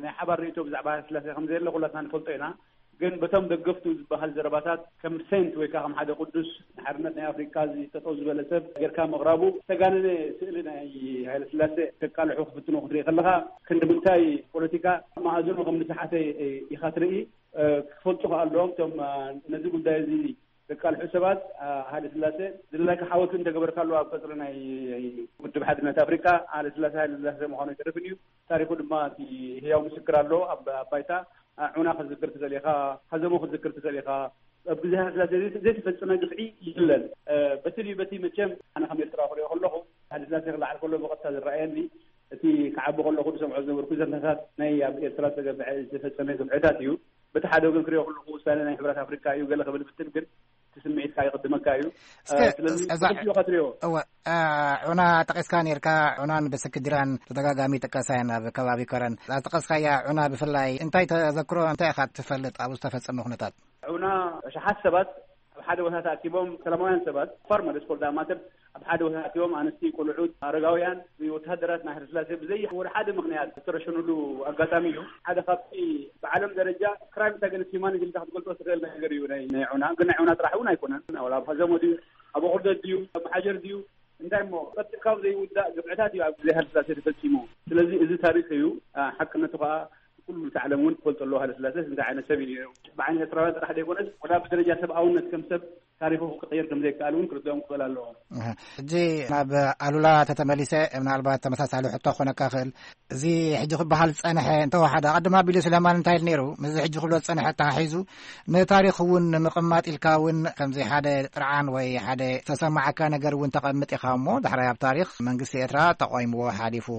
ናይ ሓባር ርእይቶ ብዛዕባ ሃይለ ስላሴ ከም ዘየለ ኩላትና ንፈልጦ ኢና። ግን በቶም ደገፍቱ ዝበሃል ዘረባታት ከም ሴንት ወይ ከዓ ከም ሓደ ቅዱስ ንሓርነት ናይ ኣፍሪካ እዚ ጠጠው ዝበለ ሰብ ጌርካ ምቕራቡ ዝተጋነነ ስእሊ ናይ ሃይለ ስላሴ ከቃልሑ ክፍትኑ ክትርኢ ከለኻ ክንዲ ምንታይ ፖለቲካ መኣዝኑ ከም ዝሰሓተ ኢኻ ትርኢ። ክፈልጡ ከኣ ኣለዎም እቶም ነዚ ጉዳይ እዚ ዘቃልሑ ሰባት። ሃይለ ስላሴ ዝደለካ ሓወልቲ እንተገበርካሉ ኣብ ቀፅሪ ናይ ውድብ ሓድነት ኣፍሪካ ሃይለ ስላሴ ሃይለ ስላሴ ምዃኑ ኣይተርፍን እዩ። ታሪኹ ድማ እቲ ህያው ምስክር ኣሎ ኣብ ባይታ። ዑና ክትዝክር ትኽእል ኢኻ፣ ሀዘሞ ክትዝክር ትኽእል ኢኻ። ኣብ ግዜ ሃይለስላሴ ዘይተፈጸመ ግፍዒ የለን። በቲ ድዩ በቲ መቸም ኣነ ከም ኤርትራዊ ክሪኦ ከለኹ፣ ሃይለስላሴ ክለዓል ከሎ ብቐጥታ ዝረኣየኒ፣ እቲ ክዓቢ ከለኹ ዝሰምዖ ዝነበርኩ ዘንታታት ናይ ኣብ ኤርትራ ዝተገብዐ ዝተፈጸመ ግፍዕታት እዩ። በቲ ሓደ ወገን ክሪኦ ከለኹ ውሳነ ናይ ሕብራት ኣፍሪካ እዩ ገለ ክብል ብትል ግን እቲ ስምዒትካ ይቕድመካ እዩ። እስከ ስለዚ እዛ ብኽልቲኡ ኢኻ ትሪኦ። እወ፣ ዑና ጠቂስካ ነርካ። ዑናን ብስክዲራን ተደጋጋሚ ይጥቀሳ እየን ኣብ ከባቢ ከረን። እዛ ዝጠቀስካያ ዑና ብፍላይ እንታይ ተዘክሮ፣ እንታይ ኢኻ ትፈልጥ ኣብኡ ዝተፈጸመ ኩነታት? ዑና ኣሽሓት ሰባት ኣብ ሓደ ቦታ ተኣኪቦም፣ ሰላማውያን ሰባት ፋር ማለት ስፖርት ኣማተር ኣብ ሓደ ቦታ ተኣኪቦም፣ ኣንስቲ፣ ቆልዑት፣ ኣረጋውያን፣ ወተሃደራት ናይ ሃይለስላሴ ብዘይ ወደ ሓደ ምኽንያት ዝተረሸኑሉ ኣጋጣሚ እዩ። ሓደ ካብቲ ብዓለም ደረጃ ክራይምስ ኣገንስት ሂማኒቲ ኢልካ ክትገልጾ ትኽእል ነገር እዩ ናይ ናይ ዑና። ግን ናይ ዑና ጥራሕ እውን ኣይኮነን። ኣብ ኣብ ሀዘሞ ድዩ፣ ኣብ ቁርደት ድዩ፣ ኣብ መሓጀር ድዩ፣ እንታይ እሞ ቀልጢፍካ ዘይውዳእ ግፍዕታት እዩ ኣብ ግዜ ሃይለስላሴ ተፈጺሙ። ስለዚ እዚ ታሪኽ እዩ። ሓቅነቱ ከዓ ኩሉ እቲ ዓለም እውን ክፈልጦ ኣለዎ። ሃይለስላሴ እንታይ ዓይነት ሰብ እዩ ነይሩ? ብዓይኒ ኤርትራውያን ጥራሕ ዘይኮነስ ወላ ብደረጃ ሰብኣውነት ከም ሰብ ታሪኹ ክቕየር ከም ዘይከኣል እውን ክርድኦም ክኽእል ኣለዎ። ሕጂ ናብ ኣሉላ ተተመሊሰ፣ ምናልባት ተመሳሳሊ ሕቶ ክኾነካ ክእል። እዚ ሕጂ ክበሃል ዝጸንሐ እንተወሓደ፣ ቅድም ኣቢሉ ስለማን እንታይ ኢሉ ነይሩ? ምስዚ ሕጂ ክብሎ ዝጸንሐ ተሓሒዙ ንታሪኽ እውን ንምቕማጥ ኢልካ እውን ከምዚ ሓደ ጥርዓን ወይ ሓደ ዝተሰማዓካ ነገር እውን ተቐምጥ ኢኻ እሞ፣ ዳሕራይ ኣብ ታሪኽ መንግስቲ ኤርትራ ተቋይምዎ ሓሊፉ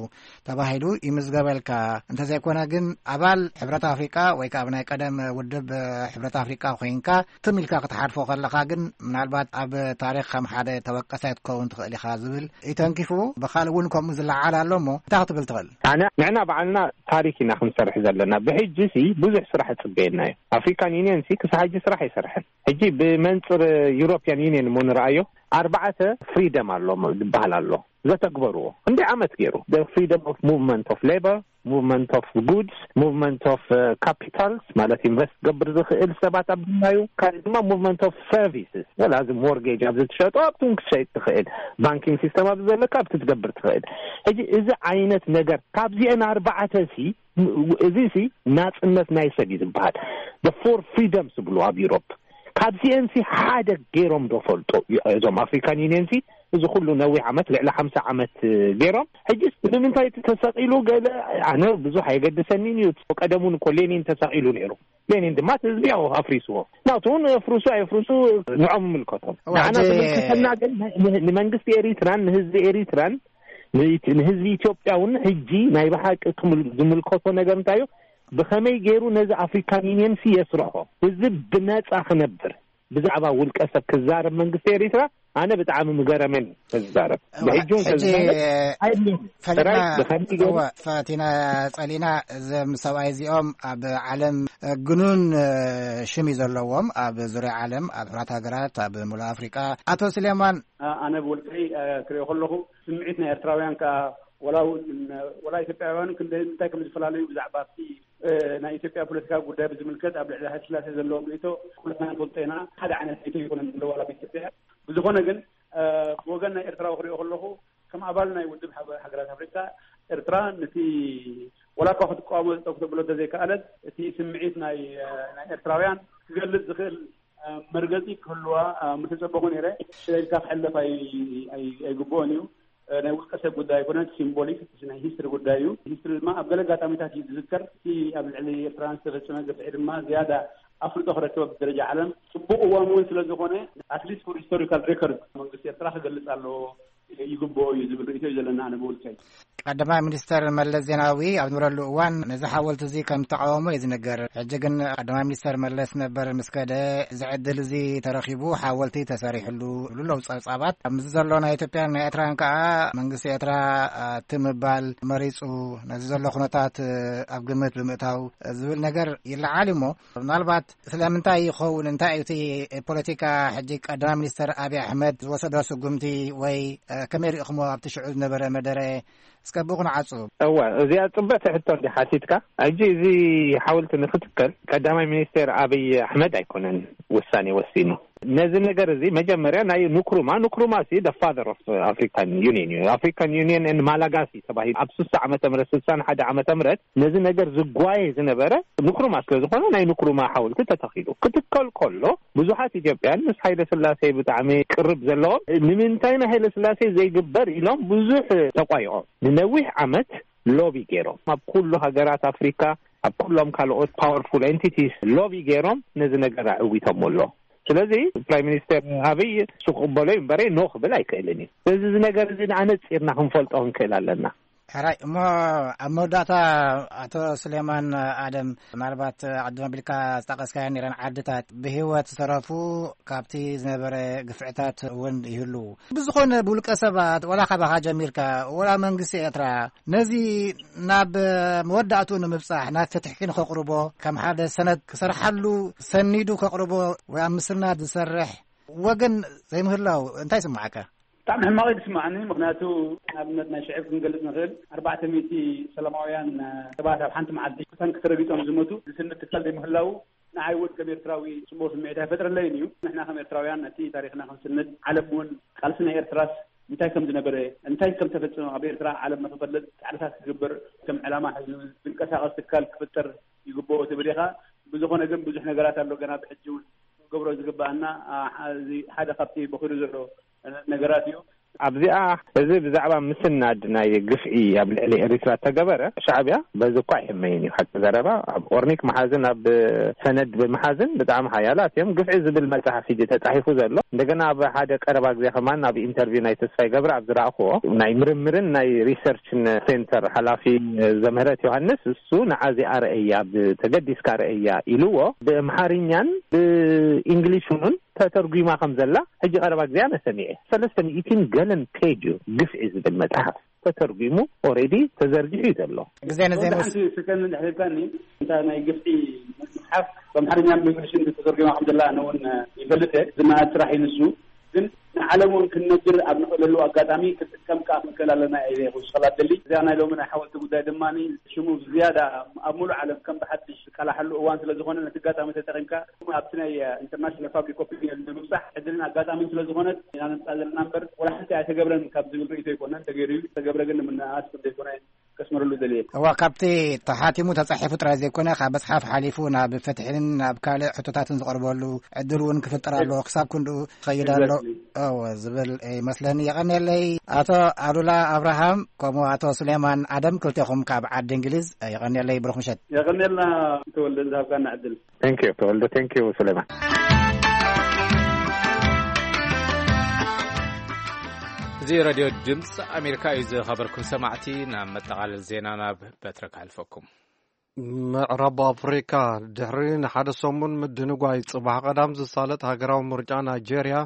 ተባሂሉ ይምዝገበልካ። እንተዘይኮነ ግን ኣባል ሕብረት ኣፍሪቃ ወይ ከዓ ኣብ ናይ ቀደም ውድብ ሕብረት ኣፍሪቃ ኮይንካ ትም ኢልካ ክትሓልፎ ከለኻ ግን ምናልባት ኣብ ታሪኽ ከም ሓደ ተወቀሳይ ክትከውን ትኽእል ኢኻ ዝብል እዩ ተንኪፉ። ብኻልእ እውን ከምኡ ዝለዓል ኣሎ እሞ እንታይ ክትብል ትኽእል? ኣነ ንሕና ባዕልና ታሪክ ኢና ክንሰርሕ ዘለና። ብሕጂ ሲ ብዙሕ ስራሕ ይጽበየና እዩ። ኣፍሪካን ዩኒየን ሲ ክሳብ ሕጂ ስራሕ ኣይሰርሐን። ሕጂ ብመንጽር ዩሮፒያን ዩኒየን እሞ ንረኣዮ፣ ኣርባዕተ ፍሪደም ኣሎ ዝበሃል ኣሎ ዘተግበርዎ። እንዲ ዓመት ገይሩ፣ ፍሪደም ኦፍ ሙቭመንት ኦፍ ሌበር፣ ሙቭመንት ኦፍ ጉድስ፣ ሙቭመንት ኦፍ ካፒታልስ፣ ማለት ኢንቨስት ገብር ዝኽእል ሰባት ኣብ ድናዩ፣ ካልእ ድማ ሙቭመንት ኦፍ ሰርቪስስ፣ ወላ እዚ ሞርጌጅ ኣብዚ ትሸጦ ኣብቲ እውን ክትሸይጥ ትኽእል፣ ባንኪንግ ሲስተም ኣብዚ ዘለካ ኣብቲ ትገብር ትኽእል። ሕጂ እዚ ዓይነት ነገር ካብዚአን ኣርባዕተ ሲ፣ እዚ ሲ ናጽነት ናይ ሰብ እዩ ዝበሃል። The four freedoms ዝብሉ ኣብ ዩሮፕ፣ ካብዚአን ሲ ሓደ ገይሮም ዶ ፈልጦ እዞም ኣፍሪካን ዩኒየን ሲ? እዚ ኩሉ ነዊሕ ዓመት፣ ልዕሊ ሓምሳ ዓመት ገይሮም። ሕጂስ ንምንታይ እቲ ተሰቒሉ? ገለ፣ ኣነ ብዙሕ ኣየገድሰኒን እዩ። ቀደም እውን እኮ ሌኒን ተሰቒሉ ነይሩ። ሌኒን ድማ እቲ ህዝቢ ያው ኣፍሪስዎ። ናቱ እውን የፍርሱ ኣየፍርሱ ንዖም ይምልከቶም። እዋ፣ ንዓና ሕጂ ዝምልከተና ግን ን-፣ ንመንግስቲ ኤሪትራን ንህዝቢ ኤሪትራን ንኢት-፣ ንህዝቢ ኢትዮጵያ እውን ሕጂ ናይ ብሓቂ ክምል-፣ ዝምልከቶ ነገር እንታይ እዩ? ብኸመይ ገይሩ ነዚ ኣፍሪካን ዩኒየን ሲ የስርሖ? ህዝቢ ብነጻ ክነብር ብዛዕባ ውልቀ ሰብ ክዛረብ መንግስቲ ኤሪትራ ኣነ ብጣዕሚ ምገረመን ተዝዛረብ። እዋ፣ ብሕጂ እውን ሕጂ ተዝዛረብ ኣይብልን። ፈሊጥና ጥራይ ብኸመይ ገይሩ እዋ፣ ፈቲና ጸሊና። እዞም ሰብኣይ እዚኦም ኣብ ዓለም ግኑን ሽም እዩ ዘለዎም፣ ኣብ ዙርያ ዓለም፣ ኣብ ሕቡራት ሃገራት፣ ኣብ ሙሉእ ኣፍሪቃ። ኣቶ ስሌማን። ኣ-፣ ኣነ ብውልቀይ፣ ኣ፣ ክሪኦ ከለኹ ስምዒት ናይ ኤርትራውያን ከኣ ወላ እውን፣ ወላ ኢትዮጵያውያን ክንደ-፣ እንታይ ከም ዝፈላለዩ ብዛዕባ ኣብቲ፣ እ፣ ናይ ኢትዮጵያ ፖለቲካዊ ጉዳይ ብዝምልከት ኣብ ልዕሊ ሃይለስላሴ ዘለዎም ርእይቶ ኩላትና ንፈልጦ ኢና። ሓደ ዓይነት ርእይቶ ኣይኮነን ዘለዎ ኣብ ኢትዮጵያ። ብዝኾነ ግን፣ እ፣ ብወገን ናይ ኤርትራዊ ክሪኦ ከለኹ ከም ኣባል ናይ ውድብ ሃገ-፣ ሃገራት ኣፍሪካ ኤርትራ ነቲ ወላ እኳ ክትቃወሞ ጠቕ ተብሎ እንተዘይከኣለት እቲ ስምዒት ናይ፣ እ፣ ናይ ኤርትራውያን ክገልጽ ዝኽእል መርገጺ ክህልዋ ምተጸበኹ ነይረ። ሽለልካ ክሕለፍ ኣይ-፣ ኣይ-፣ ኣይግብኦን እዩ። ናይ ውልቀ ሰብ ጉዳይ ኣይኮነን፣ ሲምቦሊክ ናይ ሂስትሪ ጉዳይ እዩ። ሂስትሪ ድማ ኣብ ገለ ኣጋጣሚታት እዩ ዝዝከር። እቲ ኣብ ልዕሊ ኤርትራውያን ዝተፈጸመ ግፍዒ ድማ ዝያዳ ኣፍልጦ ክረክብ ኣብ ደረጃ ዓለም ጽቡቕ እዋን እውን ስለ ዝኾነ፣ ኣትሊስት ፎር ሂስቶሪካል ሬኮርድ መንግስቲ ኤርትራ ክገልጽ ኣለዎ፣ ይግብኦ እዩ ዝብል ርእይቶ እዩ ዘለና ኣነ ብውልቀይ። ቀዳማይ ሚኒስተር መለስ ዜናዊ ኣብ ዝነበረሉ እዋን ነዚ ሓወልቲ እዚ ከም ዝተቃወሞ እዩ ዝንገር። ሕጂ ግን ቀዳማይ ሚኒስተር መለስ ነበር ምስ ከደ፣ እዚ ዕድል እዚ ተረኺቡ ሓወልቲ ተሰሪሕሉ ይብሉ ኣለዉ ጸብጻባት። ኣብዚ ዘሎ ናይ ኢትዮጵያን ናይ ኤርትራን ከኣ መንግስቲ ኤርትራ፣ እ፣ እቲ ምባል መሪጹ፣ ነዚ ዘሎ ኩነታት፣ እ፣ ኣብ ግምት ብምእታው ዝብል ነገር ይለዓል እዩ። እሞ ምናልባት ስለምንታይ ይኸውን? እንታይ እዩ እቲ ፖለቲካ ሕጂ ቀዳማይ ሚኒስተር ኣብይ ኣሕመድ ዝወሰዶ ስጉምቲ ወይ፣ እ፣ ከመይ ርኢኹሞ ኣብቲ ሽዑ ዝነበረ መደረ? እስከ ብኡ ክንዓጹ። እወ፣ እዚኣ ጽብቕቲ ሕቶ እንዲ ሓቲትካ። ሕጂ እዚ ሓወልቲ ንክትከል ቀዳማይ ሚኒስቴር ኣብይ ኣሕመድ ኣይኮነን ውሳኔ ወሲኑ። ነዚ ነገር እዚ መጀመርያ ናይ ንክሩማ፣ ንክሩማ ሲ the father of African Union እዩ። ኣፍሪካን ዩኒየን and ማላጋሲ ተባሂሉ ኣብ ስሳ ዓመተ ምህረት፣ ስሳን ሓደ ዓመተ ምህረት ነዚ ነገር ዝጓየ ዝነበረ ንክሩማ ስለ ዝኾነ ናይ ንክሩማ ሓወልቲ ተተኺሉ። ክትከል ከሎ ብዙሓት ኢትዮጵያን ምስ ሃይለ ስላሴ ብጣዕሚ ቅርብ ዘለዎም ንምንታይ ንሃይለ ስላሴ ዘይግበር ኢሎም ብዙሕ ተቋይቖም። ንነዊሕ ዓመት ሎቢ ገይሮም ኣብ ኩሉ ሃገራት ኣፍሪካ፣ ኣብ ኩሎም ካልኦት ፓወርፉል ኤንቲቲስ ሎቢ ገይሮም ነዚ ነገር ኣዕዊቶም ኣሎ። ስለዚ ፕራይም ሚኒስተር ኣብይ እሱ ክቕበሎ እዩ እምበረ ኖ ክብል ኣይክእልን እዩ። ስለዚ እዚ ነገር እዚ ንኣነፂርና ክንፈልጦ ክንክእል ኣለና። ሕራይ እሞ ኣብ መወዳእታ ኣቶ ስሌማን ኣደም፣ ምናልባት ኣድም ኣቢልካ ዝጠቐስካዮ ነይረን ዓድታት ብህይወት ዝተረፉ ካብቲ ዝነበረ ግፍዕታት እውን ይህልዉ። ብዝኾነ ብውልቀ ሰባት ወላ ካባኻ ጀሚርካ ወላ መንግስቲ ኤርትራ ነዚ ናብ መወዳእትኡ ንምብጻሕ ናብ ፍትሒ ንኸቕርቦ ከም ሓደ ሰነድ ክሰርሓሉ ሰኒዱ ከቕርቦ ወይ ኣብ ምስናድ ዝሰርሕ ወገን ዘይምህላው እንታይ ይስምዓካ? ብጣዕሚ ሕማቕ እዩ ዝስምዓኒ። ምኽንያቱ ንኣብነት ናይ ሽዕብ ክንገልጽ ንኽእል። ኣርባዕተ ሚእቲ ሰላማውያን ሰባት ኣብ ሓንቲ መዓልቲ ብታንኪ ተረጊጦም ዝሞቱ ዝስንድ ትካል ዘይምህላው ንዓይ እውን ከም ኤርትራዊ ጽቡቕ ስምዒት ኣይፈጥረለይን እዩ። ንሕና ከም ኤርትራውያን ነቲ ታሪኽና ክንስንድ፣ ዓለም እውን ቃልሲ ናይ ኤርትራስ እንታይ ከም ዝነበረ፣ እንታይ ከም ተፈጸመ ኣብ ኤርትራ ዓለም ንኽፈልጥ ጻዕርታት ክግበር ከም ዕላማ ሒዙ ዝንቀሳቐስ ትካል ክፍጠር ይግብኦ ትብል ኢኻ። ብዝኾነ ግን ብዙሕ ነገራት ኣሎ ገና ብሕጂ እውን ክገብሮ ዝግብኣና። ኣ፣ እዚ ሓደ ካብቲ በኺሩ ዘሎ ነገራት እዩ። ኣብዚኣ እዚ ብዛዕባ ምስናድ ናይ ግፍዒ ኣብ ልዕሊ ኤሪትራ ተገበረ ሻዕብያ በዚ እኳ ኣይሕመይን እዩ። ሓቂ ዘረባ ኣብ ኦርኒክ መሓዝን ኣብ ሰነድ ብምሓዝን ብጣዕሚ ሓያላት እዮም። ግፍዒ ዝብል መጽሓፍ ሕጂ ተጻሒፉ ዘሎ እንደገና ኣብ ሓደ ቀረባ ግዜ ከማን ኣብ ኢንተርቪው ናይ ተስፋይ ገብረ ኣብ ዝረኣኽዎ ናይ ምርምርን ናይ ሪሰርችን ሴንተር ሓላፊ ዘምህረት ዮሃንስ እሱ ንዓዚ ኣርእያ ተገዲስካ ርእያ ኢልዎ ብእምሓርኛን ብእንግሊሽ እውን ተተርጒማ ከም ዘላ ሕጂ ቀረባ ግዜ ኣነ ሰሚዐ። ሰለስተ ሚእትን ገለን ፔጅ እዩ ግፍዒ ዝብል መጽሓፍ ተተርጒሙ፣ ኦሬዲ ተዘርጊሑ እዩ ዘሎ። ግዜ ንዜ ወደ ንወስ- ሓንቲ ሰከንድ እንድሕር ኢልካኒ፣ እንታ ናይ ግፍዒ መጽሓፍ ብኣምሓርኛን ብእንግሊዝን ተተርጒማ ከም ዘላ ኣነ እውን ይፈልጥ እየ። ዝነኣድ ስራሕ እዩ ንሱ። ግን ንዓለም እውን ክንነግር ኣብ ንኽእለሉ ኣጋጣሚ ክንጥቀም ከኣ ክንክእል ኣለና እየ ዝውስኸላ ደሊ። እዚኣ ናይ ሎሚ ናይ ሓወልቲ ጉዳይ ድማ ሽሙ ብዝያዳ ኣብ ሙሉእ ዓለም ከም ብሓድሽ ዝቃላሓሉ እዋን ስለ ዝኾነ፣ ነቲ ኣጋጣሚ ተጠቒምካ ኣብቲ ናይ ኢንተርናሽናል ፋብሪክ ኦፒኒየን ንምብጻሕ ዕድልን ኣጋጣሚን ስለ ዝኾነ ኢና ነምጽኣ ዘለና እምበር፣ ወላ ሓንቲ ኣይተገብረን ካብ ዝብል ርእይቶ ኣይኮነን። ተገይሩ እዩ። ዝተገብረ ግን ንምንኣስ ከም ዘይኮነ ከስምረሉ ደልየ። እዋ፣ ካብቲ ተሓቲሙ ተጻሒፉ ጥራይ ዘይኮነ፣ ካብ መጽሓፍ ሓሊፉ ናብ ፍትሕን ናብ ካልእ ሕቶታትን ዝቐርበሉ ዕድል እውን ክፍጠር ኣለዎ። ክሳብ ክንድኡ ክኸይድ ኣሎ። Exactly። እወ፣ ዝብል ይመስለኒ። የቐንየለይ ኣቶ ኣሉላ ኣብርሃም፣ ከምኡ ኣቶ ሱሌማን ኣደም፣ ክልቴኹም ካብ ዓዲ እንግሊዝ፣ የቐንየለይ። ብሩኽ ምሸት። የቐንየልና ተወልደ፣ ዝሃብካና ዕድል። Thank you ተወልደ። Thank you ሱሌማን። እዚ ሬድዮ ድምፂ ኣሜሪካ እዩ። ዝኸበርኩም ሰማዕቲ፣ ናብ መጠቓለል ዜና ናብ በትረ ክሓልፈኩም። ምዕራብ ኣፍሪካ ድሕሪ ንሓደ ሰሙን ምድንጓይ፣ ጽባሕ ቀዳም ዝሳለጥ ሃገራዊ ምርጫ ናይጄርያ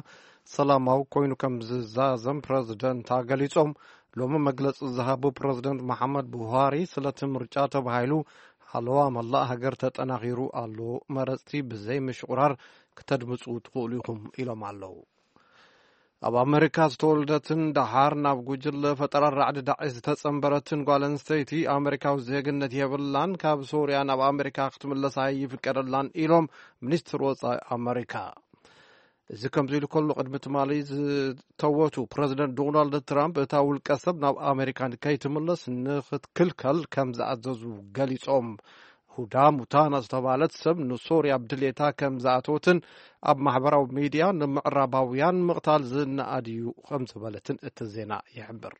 ሰላማዊ ኮይኑ ከም ዝዛዘም ፕረዚደንታ ገሊጾም። ሎሚ መግለጺ ዝሃቡ ፕረዚደንት መሓመድ ቡሃሪ፣ ስለቲ ምርጫ ተባሂሉ ሓለዋ መላእ ሃገር ተጠናኺሩ ኣሎ። መረጽቲ ብዘይ ምሽቑራር ክተድምጹ ትኽእሉ ኢኹም ኢሎም ኣለዉ። ኣብ ኣመሪካ ዝተወልደትን ደሓር ናብ ጉጅለ ፈጠራ ራዕዲ ዳዕሽ ዝተጸንበረትን ጓል ኣንስተይቲ፣ ኣመሪካዊ ዜግነት የብላን፣ ካብ ሶርያ ናብ ኣመሪካ ክትምለስ ኣይፍቀደላን ኢሎም ሚኒስትር ወጻኢ ኣመሪካ። እዚ ከምዚ ኢሉ ከሎ፣ ቅድሚ ትማሊ ዝተወቱ ፕረዚደንት ዶናልድ ትራምፕ፣ እታ ውልቀ ሰብ ናብ ኣመሪካ ንከይትምለስ ንክትክልከል ከም ዝኣዘዙ ገሊጾም። ሁዳ ሙታና ዝተባህለት ሰብ ንሶርያ ብድሌታ ከም ዝኣተወትን ኣብ ማሕበራዊ ሚድያ ንምዕራባውያን ምቕታል ዝነኣድ እዩ ከም ዝበለትን እቲ ዜና ይሕብር።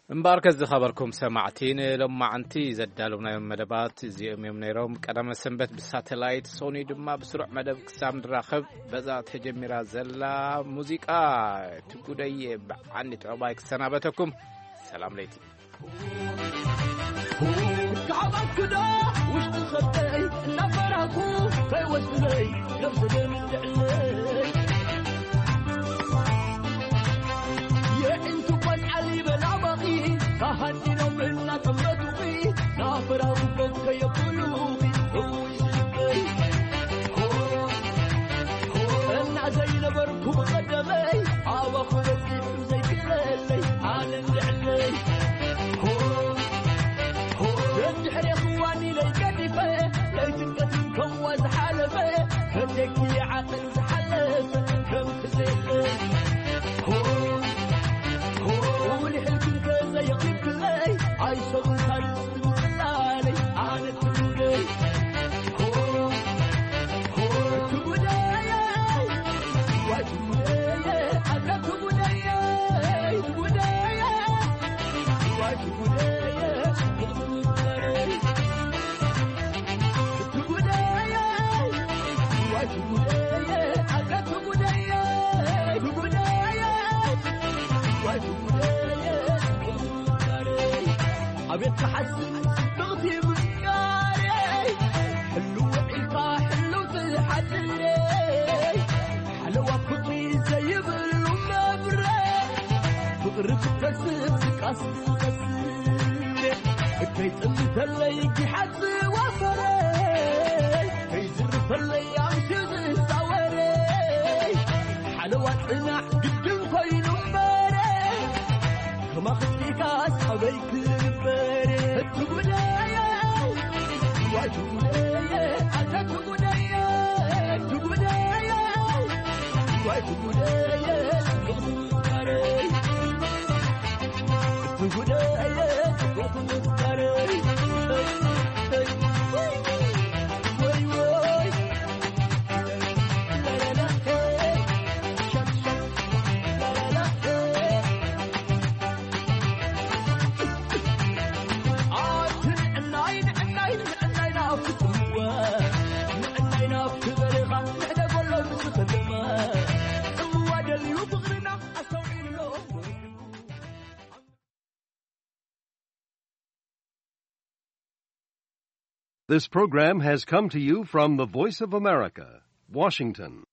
እምበኣርከስ ዝኸበርኩም ሰማዕቲ፣ ንሎማዕንቲ ዘዳለውናዮም መደባት እዚኦም እዮም ነይሮም። ቀዳመ ሰንበት ብሳተላይት፣ ሶኒ ድማ ብስሩዕ መደብ ክሳብ ንራኸብ፣ በዛ ተጀሚራ ዘላ ሙዚቃ ትጉደየ ብዓንዲ ጥዑባይ ክሰናበተኩም። ሰላም ለይቲ። ካባክዶ ውሽጢ ኸብተይ እናፈራኩ ከይወስድለይ ነብሲ ደምልዕለይ። የዒንቱ ቆልዓ ሊበላ ባኺ ካሃዲኖም እናጠመቱኺ ናፈራኩ ከየብሉኺ እውይ ልበይ። እና ዘይነበርኩ ብቐደመይ ኣባኹ በፂሑ ዘይክለለይ ኣነ እንድዕለይ። ደድሕሬ ክዋኒለይ ገዲፈ ናይ ጭንቀትን ከምዋ ዝሓለፈ ከደኪ ዓቐን ዝሓለፈ ከም ክዘይለይ። ውልሕልክን ከዘየቕሪብክለይ ኣይሰብን ታሪኽ ትምፅላለይ ኣነ ትጉደይ። ትጉደይ። ኣቤት ክሓስብ ጽብቕቲ ምፍቃረይ፣ ሕልው ውዒልካ ሕልው ትሓድረይ፣ ሓለዋ ፍቕሪ ዘይብሉ መብረቕ፣ ፍቕሪ ክትከስብ ዝቃስ ዝቐስብ፣ ከይጥምተለይ ጊሓት ዝዋፈረይ፣ ከይዝርፈለይ ኣምሽዩ ዝዛወረይ፣ ሓለዋ ጽናሕ ግድን ኮይኑ እምበረይ፣ ከማኽቲካስ ኣበይ ክንበር? እቲ ጉዳይ፣ ዋይ እቲ ጉዳይ፣ ኣታ እቲ ጉዳይ፣ እቲ ጉዳይ፣ ዋይ እቲ ጉዳይ፣ ጽቡቕ ዝምባረይ። እቲ ጉዳይ፣ ጽቡቕ ዝምባረይ። ወይ፣ ወይ። This program has come to you from the Voice of America, Washington.